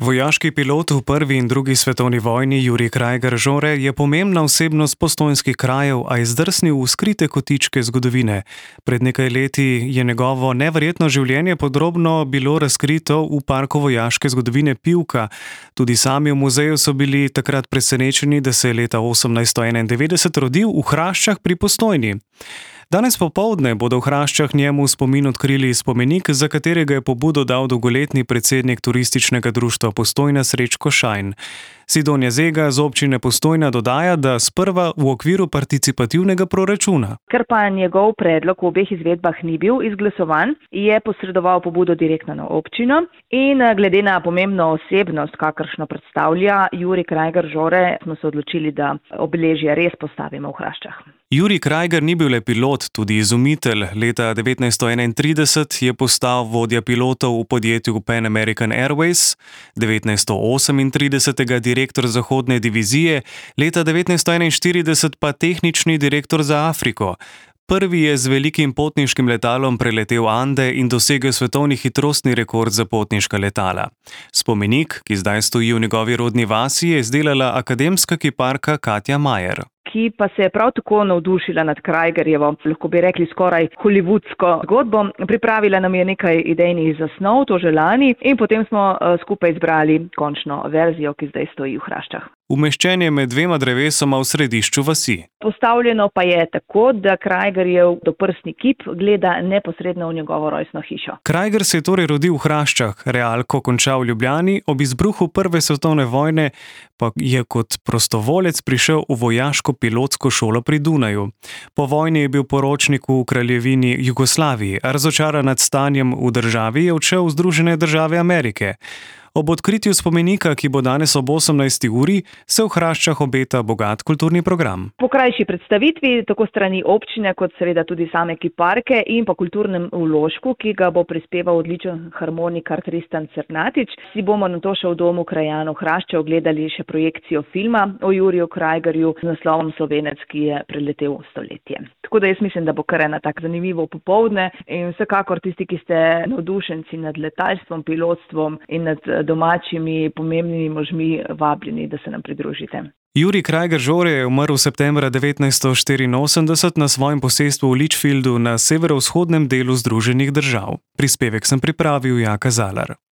Vojaški pilot v prvi in drugi svetovni vojni Jurij Krajger Žore je pomembna osebnost postojnskih krajev, a je zdrsnil v skrite kotičke zgodovine. Pred nekaj leti je njegovo neverjetno življenje podrobno bilo razkrito v parku vojaške zgodovine Pivka. Tudi sami v muzeju so bili takrat presenečeni, da se je leta 1891 rodil v Hraščah pri Postojni. Danes popoldne bodo v Hraščah njemu v spomin odkrili spomenik, za katerega je pobudo dal dolgoletni predsednik turističnega društva Postojna Srečko Šajn. Sidonja Zega z občine Postojna dodaja, da sprva v okviru participativnega proračuna. Ker pa njegov predlog v obeh izvedbah ni bil izglasovan, je posredoval pobudo direktno na občino in glede na pomembno osebnost, kakršno predstavlja Jurij Krajger Žore, smo se odločili, da obeležje res postavimo v Hraščah. Jurij Krajger ni bil le pilot, tudi izumitelj. Leta 1931 je postal vodja pilotov v podjetju Pan American Airways, 1938 direktor zahodne divizije, leta 1941 pa tehnični direktor za Afriko. Prvi je z velikim potniškim letalom preletel Ande in dosegel svetovni hitrostni rekord za potniška letala. Spomenik, ki zdaj stoji v njegovi rodni vasi, je izdelala akademska kiparka Katja Majer, ki pa se je prav tako navdušila nad Krajgerjevo, lahko bi rekli skoraj hollywoodsko zgodbo. Pripravila nam je nekaj idejnih zasnov, to že lani, in potem smo skupaj izbrali končno verzijo, ki zdaj stoji v Hraščah. Umeščen je med dvema drevesoma v središču vasi. Postavljeno pa je tako, da Krajgerjev doprsni kip gleda neposredno v njegovo rojstno hišo. Krajger se je torej rodil v Hraščah, realko končal v Ljubljani, ob izbruhu prve svetovne vojne pa je kot prostovolec prišel v vojaško pilotsko šolo pri Dunaju. Po vojni je bil poročnik v kraljevini Jugoslaviji, a razočaran nad stanjem v državi je odšel v Združene države Amerike. Ob odkritju spomenika, ki bo danes ob 18. uri, se v Hraščah obeta bogat kulturni program. Po krajši predstavitvi, tako strani občine, kot seveda tudi same kiparke in po kulturnem vložku, ki ga bo prispeval odličen harmonikar Tristan Cernatič, si bomo nato še v domu krajanov Hrašče ogledali še projekcijo filma o Juriju Krajgerju z naslovom Slovenec, ki je preletel stoletje. Tako da jaz mislim, da bo kar ena tako zanimivo popoldne in vsekakor tisti, ki ste navdušenci nad letalstvom, pilotstvom in nad domačimi pomembnimi možmi, vabljeni, da se nam pridružite. Jurij Krajger Žore je umrl septembra 1984 na svojem posestvu v Litchfieldu na severovzhodnem delu Združenih držav. Prispevek sem pripravil Jaka Zalar.